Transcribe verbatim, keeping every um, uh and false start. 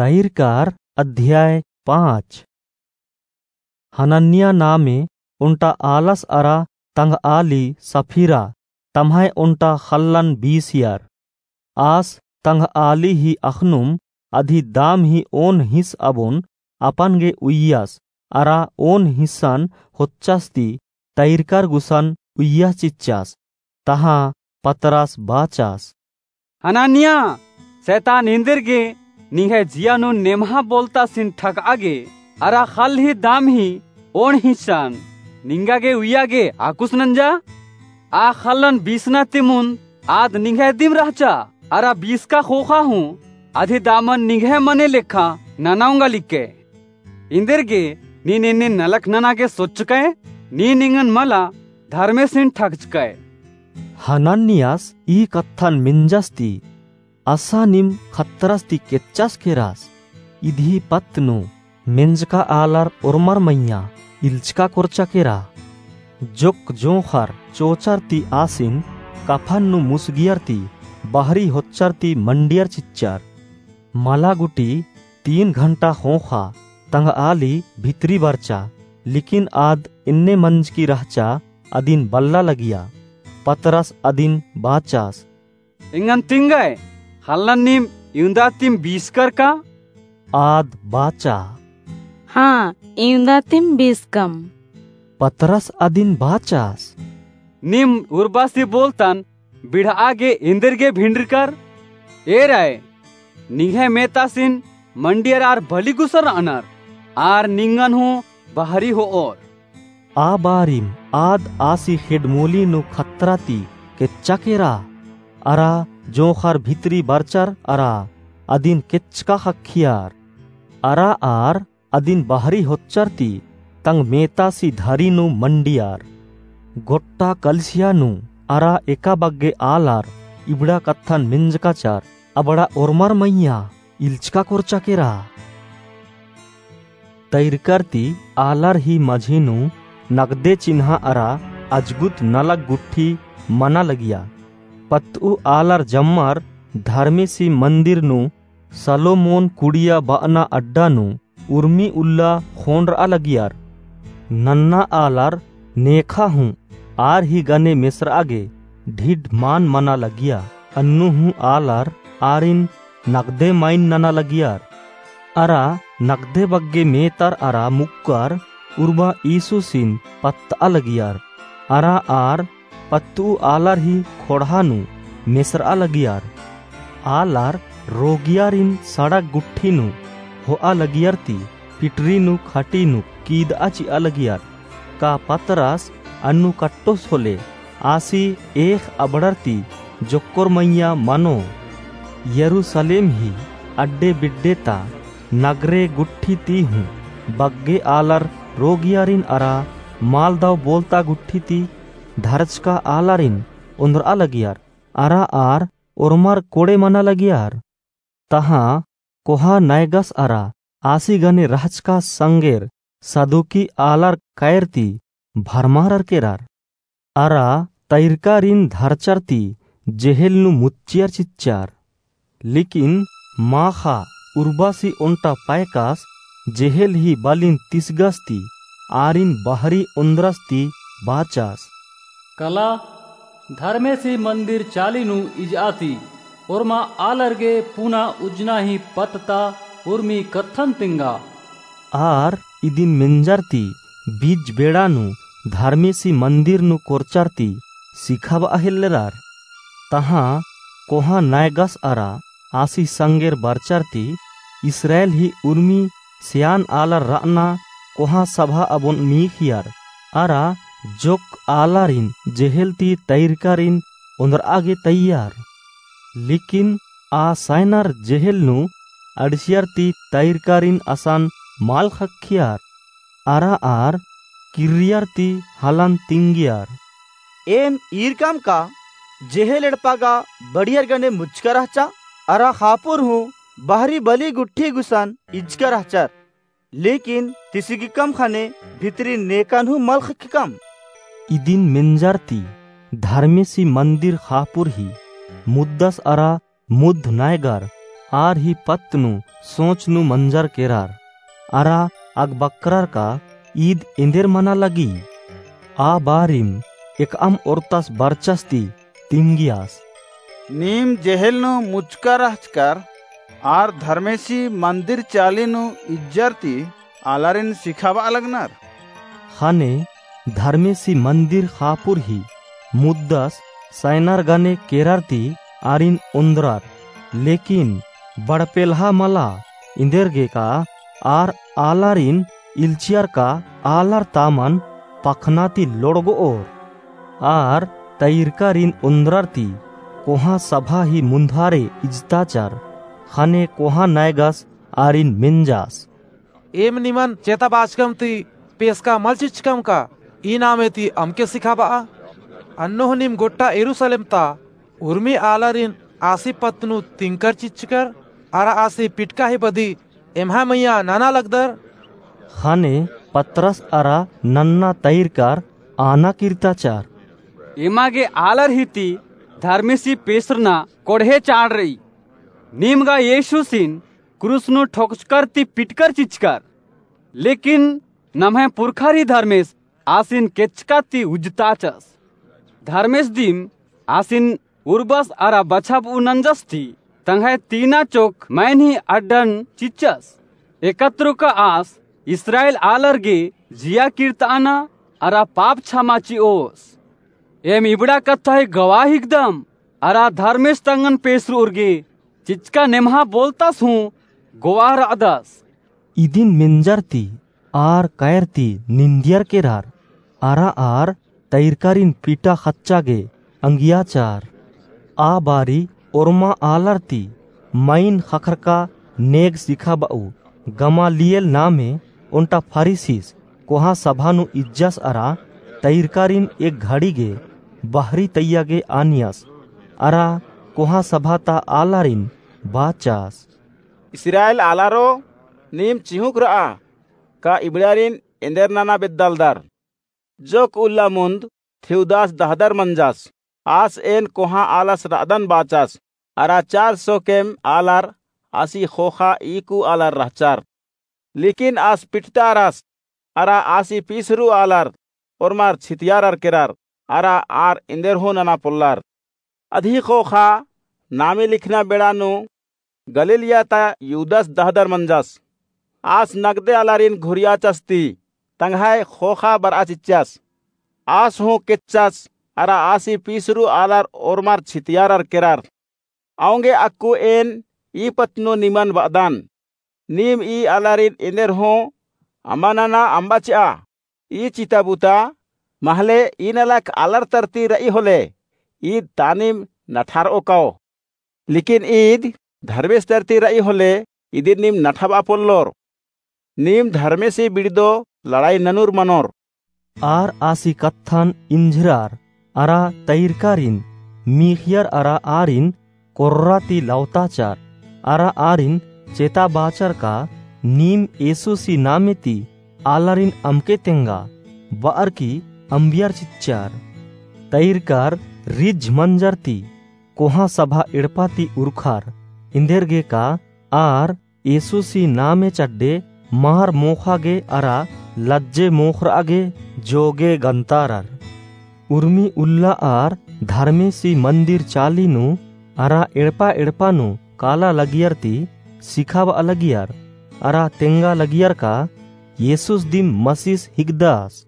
तैरकार अध्याय पाँच। हनन्या नामे ओन्टा आलस अरा तंगआली सफीरा तम्है ओन्टा ख़ल्लन बीसियर। आस तंगआली ही अख़नुम अदी दाम ही ओन हिस अबोन अपन गे उइय्यस अरा ओन हिस्सन होच्चस ती तैरकर गुसन उइय्यस चिच्चस। तहाँ पतरस बाचस, हनन्या, सैतान एन्देरगे निंग्है जिया नू नेम्हा बोलतासिन ठकआ गे अरा ख़ल्ल ही दाम ही ओन हिस्सन निंगा गे उइया गे आकुस नंजा? आ ख़ल्लन बीसना ती मुन्द आद निंग्है दिम रहचा अरा बीसका ख़ोख़ा हूँ अदी दामन निंग्है मने लेखा नना ओंगा लिक्के। एन्देरगे नीन एन्ने नलख नना गे सोचकय, नीन एंगन मला धर्मेसिन ठकचकय। हनन्यास ई कत्थन मेंजस ती, असा नीम खतरस ती केच्चस केरस? इदी पत्त नू मेंजका आलर ओर्मर मइय्याँ इल्चका कोरचा केरा। जोक्क जोंख़र चोचर ती आसिन कफन नू मुसगियर ती बहरी होच्चर ती मंडियर चिच्चर। मला गुटी तीन घंटा ख़ोख़ा तंगआली भितरी बरचा, लेकिन आद एन्ने मंजकी रहचा अदिन बल्ला लगिया। पतरस अदिन बाचस, एंगन तिंगय, ख़ल्लन नीम इवंदा तिम बीसकर का? आद बाचा, हाँ, इवंदा तिम बीसकम। पतरस अदिन बाचस, नीम उर्बासी बोलतन बिड़आ गे एन्देरगे भिंडरकर? एरय, निंग्है मेतासिन मंडियर आर बली गुसन रअनर, आर निंगन हूँ बहरी होओर। आ बारिम आद आसी ख़ेड्ड मोली नू खतरा ती केच्चा केरा, अरा जोंख़र भितरी बरचर अरा अदिन केच्चका ख़क्खियर। अरा आर अदिन बहरी होच्चर ती तंग मेतासी धरी नू मंडियर। गोट्टा कलिसिया नू अरा एका बग्गे आलर इबड़ा कत्थन मेंजकाचर, अबड़ा ओर्मर मइय्याँ इल्चका कोरचा केरा। तैरकर ती आलर ही मझी नू नगदे चिन्हा अरा अजगुत नलख गुट्ठी मना लगिया। पत्तऊ आलर जम्मर धर्मेसी मंदिर नू सलोमोन कुड़िया बअना अड्डा नू उर्मी उल्ला ख़ोंड़रआ लगियर। नन्ना आलर नेखा हूँ आर ही गने मेसरआ गे ढिढ मान मना लगिया। अन्नु हूँ आलर आरिन नगदे माइन नना लगियर। अरा नगदे बग्गे मेतर अरा मुक्कर उर्बा यीशुसिन पत्तआ लगियर। अरा आर पत्तऊ आलर ही ख़ोंड़हा नू मेसरआ लगियर। आलर रोगियारिन सड़क गुट्ठी नू होआ लगियर ती पिटरी नू खटी नू कीदआ चिआ लगियर, का पतरस अन्नु कट्टोस होले? आसी एख़ अबड़र ती जोक्कोर मइय्याँ मनो। यरूसलेम ही अड्डे बिड्डे ता नगरे गुट्ठी ती हूँ बग्गे आलर रोगियारिन अरा मालदव बोलता गुट्ठी ती धरचका आलारिन ओन्द्रआ लगियर, अरा आर ओर्मर कोड़े मना लगियर। तहाँ कोहा नायगस अरा आसी गने रहचका संगेर सदुकी आलर कैर ती भरमारर केरर। अरा तैरकारिन धरचर ती जेहेल नू मुच्चियर चिच्चर। लेकिन माख़ा उर्बासी ओन्टा पैकास जेहेल ही बलिन तिसगस ती आरिन बहरी ओन्द्रस ती बाचस, कला, धर्मेसी मंदिर चाली नू इजआ ती ओर्मा आलर गे पुना उज्जना ही पत्त ता उर्मी कत्थन तिंगा। आर इदिन मेंजर ती बीज बेड़ा नू धर्मेसी मंदिर नू कोरचर ती सिखाबआ हेल्लरर। तहाँ कोहाँ नायगस अरा आसी संगेर बरचर ती इस्राएल ही उर्मी सेआन आलर रअना कोहाँ सभा अबोन मीख़ियर, अरा जोक्क आलारिन जेहेल ती तैरकारिन ओन्द्रआ गे तैयार। लेकिन आ सायनर जेहेल नू अंड़सियर ती तैरकारिन असन मल ख़क्खियर। अरा आर किर्रियर ती हलन तिंगियर, एम ईरकम का जेहेल एड़पा गा बड़ियर गने मुच्चका रहचा, अरा ख़ापुर हूँ बहरी बली गुट्ठी गुसन इज्जका रहचर, लेकिन तिसिगकम ख़ने भितरी नेकन हूँ मल ख़क्खकम। इदिन मेंजर ती धर्मेसी मंदिर ख़ापुर ही मुद्दस अरा मुद्ध नायगर आर ही पत्त नू सोच नू मंजर केरर, अरा अगबकरर का ईद एन्देर मना लगी? आ बारिम एकअम ओर्तस बरचस ती तिंगियस, नीम जेहेल नू मुचका रहचकर आर धर्मेसी मंदिर चाली नू इज्जर ती आलारिन सिखाबआ लगनर। ख़ने धर्मेसी मंदिर ख़ापुर ही मुद्दस सैनर गने केरर ती आरिन ओन्द्रर, लेकिन बड़पेल्हा मला, एन्देरगे का आर आलारिन इल्चियर का आलर तामन पखना ती लोड़गोओर। आर तैरकारिन ओन्द्रर ती कोहाँ सभा ही मुन्धारे इजताचर, ख़ने कोहाँ नैगस आरिन मेंजस, एम निमन चेताबाचकम ती पेसका मल चिच्चकम का? ई नामे ती अमके सिखाबआ? अन्नु हूँ नीम गोट्टा यरूसलेम ता उर्मी आलारिन आसी पत्त नू तिंकर चिच्चकर, अरा आसी पिटका ही बदी एम्है मइय्याँ नना लगदर। ख़ने पतरस अरा नन्ना तैरकर आना किर्ताचर, एमा गे आलर ही ती धर्मेसी पेसरना कोड़हे चाड़ रई। नीम गा येशुसिन क्रूस नू ठोकचकर ती पिटकर चिच्चकर, लेकिन नम्है पुरखर ही धर्मेस आसिन केचका ती उज्जताचस। धर्मेस दिम आसिन उर्बस अरा बछाबऊ नंजस ती तंग्है तीना चोक मैन ही अड्डन चिच्चस। एकतरो का आस इस्राएल आलर गे जिया किर्ताना अरा पाप छमा चिओस। एम इबड़ा कत्था ही गवाह हिकदम, अरा धर्मेस तंगन पेसरुर गे चिच्चका नेम्हा बोलतस हूँ गवाह रअदस। इदिन मेंजर ती आर कैर ती निंदियर केरर, अरा आर तैरकारिन पिटा ख़च्चा गे अंगियाचर। आ बारी ओर्मा आलर ती मइन ख़क्खरका नेग सिखाबऊ गमालिएल नामे ओन्टा फरीसिस कोहाँ सभा नू इज्जस अरा तैरकारिन एक घड़ी गे बहरी तैया गे आनियस, अरा कोहाँ सभा ता आलारिन बाचस, इस्राएल आलारो, नीम चिहुँक रआ का इबड़ारिन एन्देर नना बेद्दालदर? जोक उल्ला मुन्द थेउदास दहदर मंजस, आस एन कोहाँ आलस रअदन बाचस, अरा चार सौ केम आलर आसी ख़ोख़ा ईकु आलर रहचर। लेकिन आस पिटतारस, अरा आसी पीसरू आलर ओर्मर छितियारर केरर, अरा आर एन्देर हूँ नना पोल्लर। अदही ख़ोख़ा नामे लिखना बेड़ा नू गलीलिया ता यूदस दहदर मंजस। आस नगदे आलारिन घुरियाचस ती तंग्है ख़ोख़ा बरआ चिच्चस। आस हूँ केच्चस, अरा आसी पीसरू आलर ओर्मर छितियारर केरर। औंगे अक्कु एन ई पत्त नू निमन बअदन, नीम ई आलारिन एन्देर हूँ अम्बा नना अम्बा चिआ। ई चिता बुता महले ई नलख आलर तरती रई होले, ईद तानिम नठारओ काओ। लेकिन ईद धर्मेस तरती रई होले, इदिन नीम नठाबआ पोल्लोर। नीम धर्मेसी बिड़दो लड़ाई ननुर मनोर। आर आसी कत्थन इंझिरर, अरा तैरकारिन मीख़ियर अरा आरिन कोर्रा ती लवताचर, अरा आरिन चेताबाचर का नीम येसुसी नामे ती आलारिन अमके तेंगा, बअर की अम्बियर चिच्चर। तैरकर रिझ मंजर ती कोहाँ सभा एड़पा ती उरखर, एन्देरगे का आर येसुसी नामे चड्डे मार मोख़ा गे अरा लज्जे मोख़रआ गे जोगे गन्तारर। उर्मी उल्ला आर धर्मेसी मंदिर चाली नू अरा एड़पा एड़पा नू काला लगियर ती सिखाबआ लगियर, अरा तेंगा लगियर का येसुस दिम मसीस हिकदस।